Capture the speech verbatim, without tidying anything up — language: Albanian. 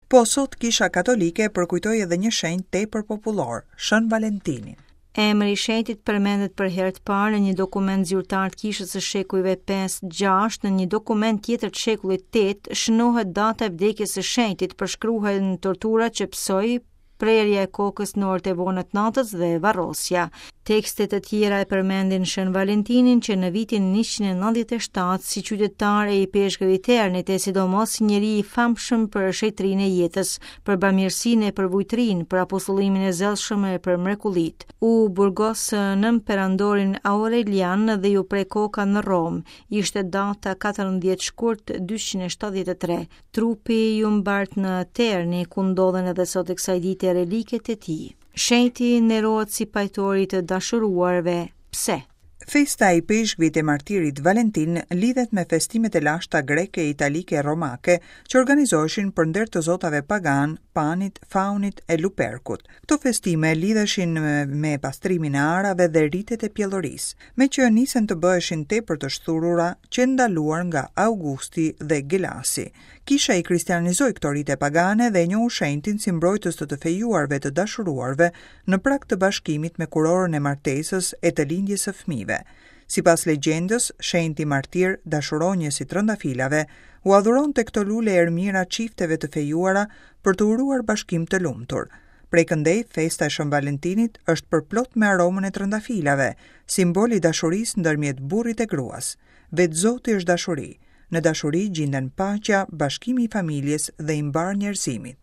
Po sot Kisha Katolike përkujtoi edhe një shenjt tepër popullor, Shën Valentinin. Emri i shenjtit përmendet për herë të parë në një dokument zyrtar të kishës së shekujve pesë gjashtë, në një dokument tjetër të shekullit tetë shënohet data e vdekjes së shenjtit, përshkruhen torturat që pësoi, prerja e kokës në orët e vona të natës dhe varrosja. Tekste të tjera e përmendin Shën Valentinin që në vitin njëqind e nëntëdhjetë e shtatë si qytetar e ipeshkëv i Ternit e sidomos si njeri i famshëm për shenjtërinë e jetës, për bamirësinë e për vujtrinë, për apostullimin e zellshëm e për mrekullitë. U burgos nën perandorin Aurelian dhe ju pre koka në Romë. Ishte data katërmbëdhjetë shkurt dyqind e shtatëdhjetë e tre. Trupi ju mbart në Terni, ku ndodhen edhe sot e kësaj dite reliket e tij. Shenjti nderohet si pajtori të dashuruarve. Pse? Festa e ipeshkvit e martirit Valentin lidhet me festimet e lashta greke, italike e romake që organizoheshin për nder të zotave pagan, Panit, Faunit e Luperkut. Këto festime lidheshin me, me pastrimin e arave dhe ritet e pjellorisë, me që nisen të bëheshin tepër të shthurura që ndaluar nga Augusti dhe Gelasi. Kisha i kristianizoi këto rite pagane dhe e njohu shenjtin si mbrojtës të të fejuarve të dashuruarve në prag të bashkimit me kurorën e martesës e të lindjes së fëmijëve. Sipas legjendës, shenjti martir, dashuronjës i trëndafilave, u adhuronte këto lule ermira çifteve të fejuara për të uruar bashkim të lumtur. Prej këndej, festa e Shën Valentinit është përplot me aromën e trëndafilave, simbol i dashurisë ndërmjet burrit e gruas. Vetë Zoti është dashuri. Në dashuri gjinden paqja, bashkimi i familjes dhe i mbar njerëzimit.